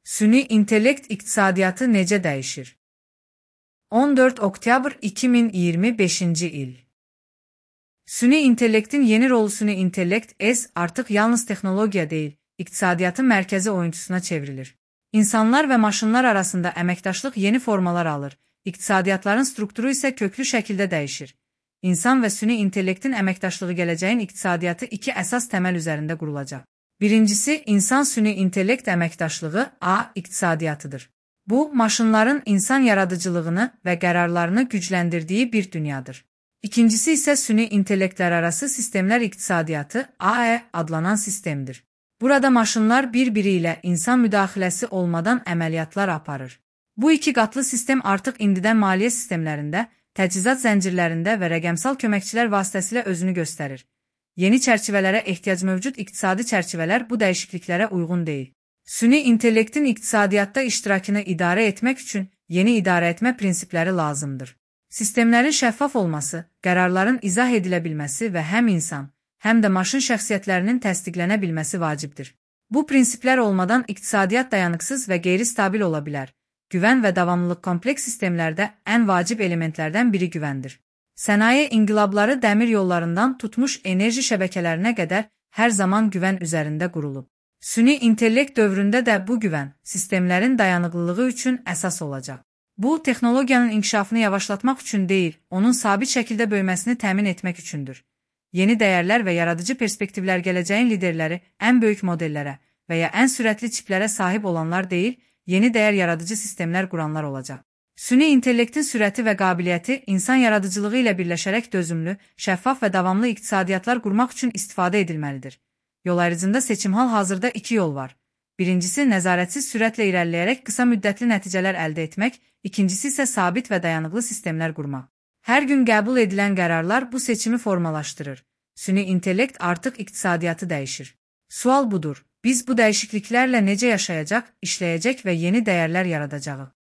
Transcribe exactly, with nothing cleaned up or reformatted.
Süni intellekt iqtisadiyyatı necə dəyişir? on dörd oktyabr iki min iyirmi beşinci il. Süni intellektin yeni rolu süni intellekt S artıq yalnız texnologiya deyil, iqtisadiyyatın mərkəzi oyunçusuna çevrilir. İnsanlar və maşınlar arasında əməkdaşlıq yeni formalar alır, iqtisadiyyatların strukturu isə köklü şəkildə dəyişir. İnsan və süni intellektin əməkdaşlığı gələcəyin iqtisadiyyatı iki əsas təməl üzərində qurulacaq. Birincisi, insan-süni intellekt əməkdaşlığı A iqtisadiyyatıdır. Bu, maşınların insan yaradıcılığını və qərarlarını gücləndirdiyi bir dünyadır. İkincisi isə süni intellektlər arası sistemlər iqtisadiyyatı A E adlanan sistemdir. Burada maşınlar bir-biri ilə insan müdaxiləsi olmadan əməliyyatlar aparır. Bu iki qatlı sistem artıq indidən maliyyə sistemlərində, təchizat zəncirlərində və rəqəmsal köməkçilər vasitəsilə özünü göstərir. Yeni çərçivələrə ehtiyac mövcud iqtisadi çərçivələr bu dəyişikliklərə uyğun deyil. Süni intellektin iqtisadiyyatda iştirakını idarə etmək üçün yeni idarəetmə prinsipləri lazımdır. Sistemlərin şəffaf olması, qərarların izah edilə bilməsi və həm insan, həm də maşın şəxsiyyətlərinin təsdiqlənə bilməsi vacibdir. Bu prinsiplər olmadan iqtisadiyyat dayanıqsız və qeyri-stabil ola bilər. Güvən və davamlılıq kompleks sistemlərdə ən vacib elementlərdən biri güvəndir. Sənaye inqilabları dəmir yollarından tutmuş enerji şəbəkələrinə qədər hər zaman güvən üzərində qurulub. Süni intellekt dövründə də bu güvən, sistemlərin dayanıqlılığı üçün əsas olacaq. Bu, texnologiyanın inkişafını yavaşlatmaq üçün deyil, onun sabit şəkildə böyüməsini təmin etmək üçündür. Yeni dəyərlər və yaradıcı perspektivlər gələcəyin liderləri ən böyük modellərə və ya ən sürətli çiplərə sahib olanlar deyil, yeni dəyər yaradıcı sistemlər quranlar olacaq. Süni intellektin sürəti və qabiliyyəti insan yaradıcılığı ilə birləşərək dözümlü, şəffaf və davamlı iqtisadiyyatlar qurmaq üçün istifadə edilməlidir. Yol ayrıcında seçim hal-hazırda iki yol var. Birincisi, nəzarətsiz sürətlə irəliləyərək qısa müddətli nəticələr əldə etmək, ikincisi isə sabit və dayanıqlı sistemlər qurmaq. Hər gün qəbul edilən qərarlar bu seçimi formalaşdırır. Süni intellekt artıq iqtisadiyyatı dəyişir. Sual budur, biz bu dəyişikliklərlə necə yaşayacaq, işləyəcək və yeni dəyərlər yaradacağıq?